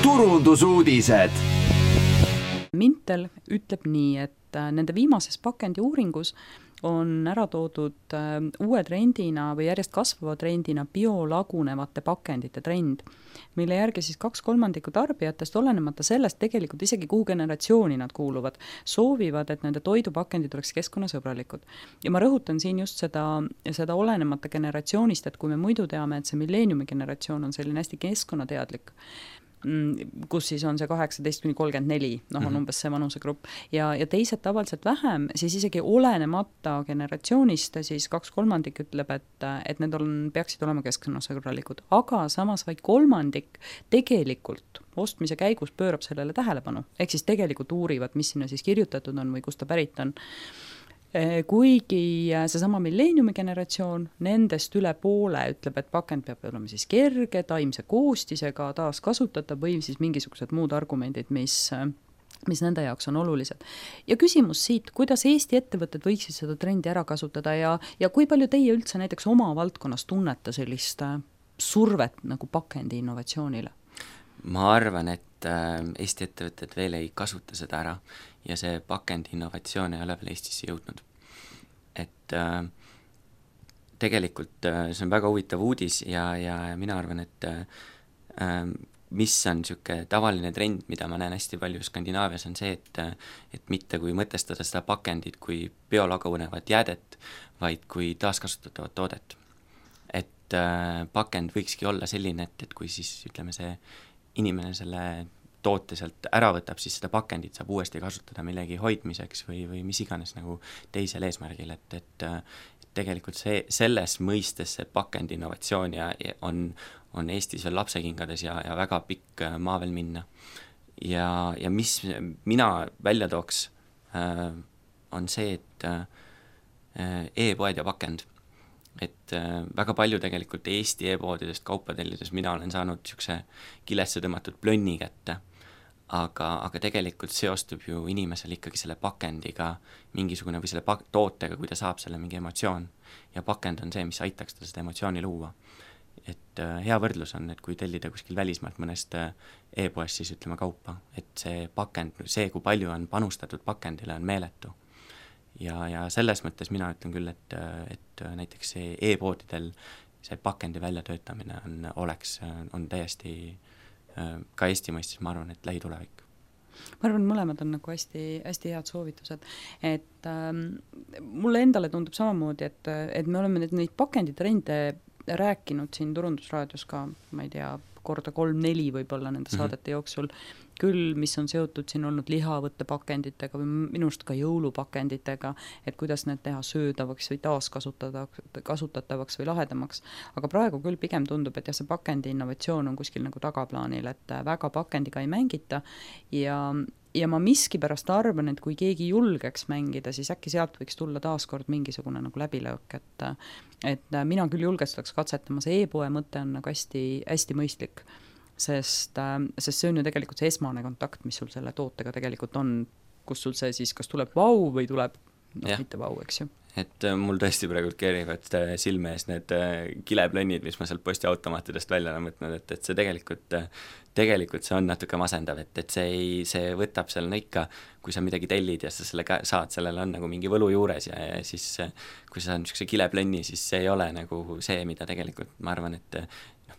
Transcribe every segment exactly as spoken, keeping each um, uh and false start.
turundusuudised. Mintel ütleb nii, et nende viimases pakendi uuringus on ära toodud uue trendina või järjest kasvava trendina biolagunevate pakendite trend, mille järgi siis kaks kolmandikku tarbijatest, olenemata sellest tegelikult isegi kuhu generatsiooni nad kuuluvad, soovivad, et nende toidupakendid oleks keskkonnasõbralikud. Ja ma rõhutan siin just seda, seda olenemata generatsioonist, et kui me muidu teame, et see milleeniumi generatsioon on selline hästi keskkonnateadlik, kus siis on see kaheksateist kuni kolmkümmend neli, noh on umbes see vanusegrupp, ja, ja teised tavaliselt vähem, siis isegi olenemata generatsioonist, siis kaks kolmandik ütleb, et, et need on, peaksid olema keskkonnasõbralikud, aga samas vaid kolmandik tegelikult ostmise käigus pöörab sellele tähelepanu, ehk siis tegelikult uurivad, mis sinna siis kirjutatud on või kust ta pärit on. Kuigi seesama milleeniumi generatsioon, nendest üle poole ütleb, et pakend peab olema siis kerge, taimse koostisega, taas kasutatav või siis mingisugused muud argumendid, mis, mis nende jaoks on olulised. Ja küsimus siit, kuidas Eesti ettevõtted võiksid seda trendi ära kasutada ja, ja kui palju teie üldse näiteks oma valdkonnas tunnete sellist survet nagu pakendi innovatsioonile? Ma arvan, et Eesti ettevõtted veel ei kasuta seda ära ja see pakendi innovatsioon ei ole veel Eestisse jõudnud. Et äh, tegelikult äh, see on väga huvitav uudis ja, ja, ja mina arvan, et äh, mis on niisugune tavaline trend, mida ma näen hästi palju Skandinaavias, on see, et, et mitte kui mõtestada seda pakendit kui biolagunevat jäädet, vaid kui taaskasutatavat toodet. Et äh, pakend võikski olla selline, et, et kui siis ütleme see inimene selle toote sealt ära võtab, siis seda pakendit saab uuesti kasutada millegi hoidmiseks või, või mis iganes nagu teisel eesmärgil, et, et tegelikult see, selles mõistes see pakendi innovatsioon ja, ja on, on Eestis veel lapsekingades ja, ja väga pikk maa veel minna. Ja, ja mis mina välja tooks, äh, on see, et äh, e-poed ja pakend. Et äh, väga palju tegelikult Eesti e-poodidest kaupadellides mina olen saanud niisuguse kilesse tõmmatud plönni kätte, aga, aga tegelikult seostub ju inimesel ikkagi selle pakendiga mingisugune või selle pak- tootega, kui ta saab selle mingi emotsioon ja pakend on see, mis aitaks ta seda emotsiooni luua. Et äh, hea võrdlus on, et kui tellida kuskil välismaalt mõnest äh, e-poest siis ütleme kaupa, et see pakend, see kui palju on panustatud pakendile on meeletu. Ja, ja selles mõttes mina ütlen küll, et, et näiteks see e-poodidel see pakendi väljatöötamine on, oleks, on täiesti ka Eesti mõistes, ma arvan, et lähitulevik. Ma arvan, mõlemad on nagu hästi, hästi head soovitused, et ähm, mulle endale tundub samamoodi, et, et me oleme neid, neid pakenditrende rääkinud siin Turundusraadios ka, ma ei tea, korda kolm-neli võib-olla nende saadete jooksul, küll, mis on seotud siin olnud lihavõtte pakenditega või minust ka jõulupakenditega, et kuidas need teha söödavaks või taaskasutatavaks või lahedamaks. Aga praegu küll pigem tundub, et jah, see pakendi innovatsioon on kuskil nagu tagaplaanil, et väga pakendiga ei mängita ja, ja ma miskipärast arvan, et kui keegi julgeks mängida, siis äkki sealt võiks tulla taaskord mingisugune nagu läbilöök, et, et mina küll julgestaks katsetama, see e-poe mõte on nagu hästi, hästi mõistlik. Sest, sest see on ju tegelikult see esmane kontakt, mis sul selle tootega tegelikult on, kus sul see siis, kas tuleb vau või tuleb no, mitte vau, eks ju. Et mul tõesti praegu keerivad silme ees need kileplönnid, mis ma sealt postiautomaatidest välja olen võtnud, et, et see tegelikult, tegelikult see on natuke masendav, et, et see, ei, see võtab seal no ikka, kui sa midagi tellid ja sa selle ka, saad, sellel on nagu mingi võlu juures ja, ja siis kui sa saad niisuguse kileplönni, siis see ei ole nagu see, mida tegelikult ma arvan, et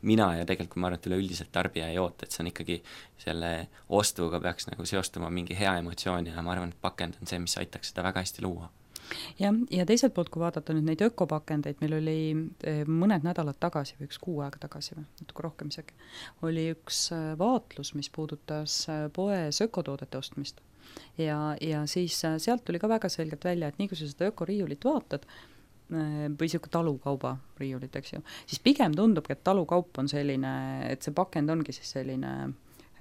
mina ja tegelikult ma arvan, et üleüldiselt tarbija ei oota, et see on ikkagi selle ostuga peaks nagu seostuma mingi hea emotsioon ja ma arvan, et pakend on see, mis aitaks seda väga hästi luua. Ja, ja teiselt poolt, kui vaadata nüüd neid ökopakendeid, meil oli mõned nädalad tagasi või üks kuu aega tagasi või natuke rohkem isegi, oli üks vaatlus, mis puudutas poes ökotoodete ostmist. Ja, ja siis sealt tuli ka väga selgelt välja, et nii kui sa seda ökoriiulit vaatad, või siuke talukauba riiulit, eks ju, siis pigem tundub, et talukaup on selline, et see pakend ongi siis selline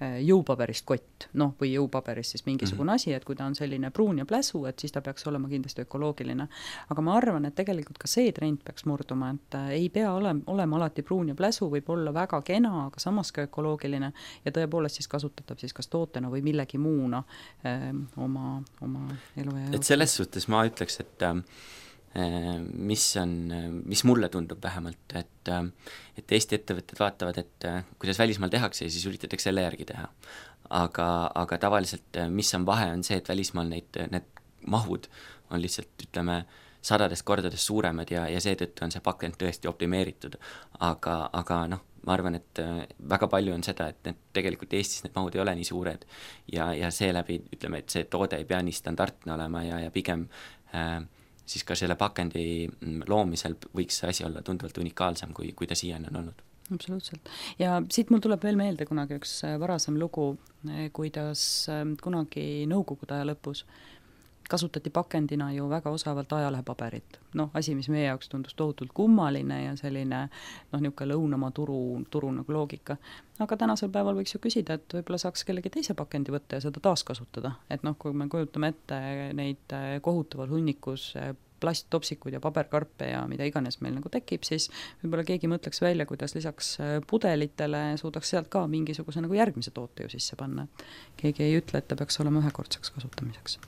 jõupaberist kott, noh, või jõupaberist siis mingisugune mm-hmm. asi, et kui ta on selline pruun ja pläsu, et siis ta peaks olema kindlasti ökoloogiline. Aga ma arvan, et tegelikult ka see trend peaks murduma, et ei pea olema, olema alati pruun ja pläsu, võib olla väga kena, aga samas ka ökoloogiline ja tõepoolest siis kasutatav siis kas tootena või millegi muuna öö, oma, oma elu ja et selles suhtes ma ütleks, et mis on, mis mulle tundub vähemalt, et et Eesti ettevõtted vaatavad, et kuidas välismaal tehakse ja siis üritatakse selle järgi teha. Aga, aga tavaliselt mis on vahe, on see, et välismaal neid, need mahud on lihtsalt, ütleme, sadades kordades suuremad ja, ja seetõttu on see pakend tõesti optimeeritud. Aga, aga noh, ma arvan, et väga palju on seda, et need tegelikult Eestis need mahud ei ole nii suured ja, ja seeläbi, ütleme, et see toode ei pea nii standardne olema ja, ja pigem äh, siis ka selle pakendi loomisel võiks see asi olla tunduvalt unikaalsem, kui, kui ta siiani on olnud. Absoluutselt. Ja siit mul tuleb veel meelde kunagi üks varasem lugu, kuidas kunagi nõukogude aja lõpus kasutati pakendina ju väga osavalt ajalehepaberit. Noh, asi, mis meie jaoks tundus tohutult kummaline ja selline noh, niisugune lõunamaa turu, turu nagu loogika. Aga tänasel päeval võiks ju küsida, et võib-olla saaks kellegi teise pakendi võtta ja seda taaskasutada. Et noh, kui me kujutame ette neid kohutaval hunnikus plasttopsikud ja paberkarpe ja mida iganes meil nagu tekib, siis võib-olla keegi mõtleks välja, kuidas lisaks pudelitele suudaks sealt ka mingisuguse nagu järgmise toote ju sisse panna. Keegi ei ütle, et ta peaks olema ühekordseks kasutamiseks.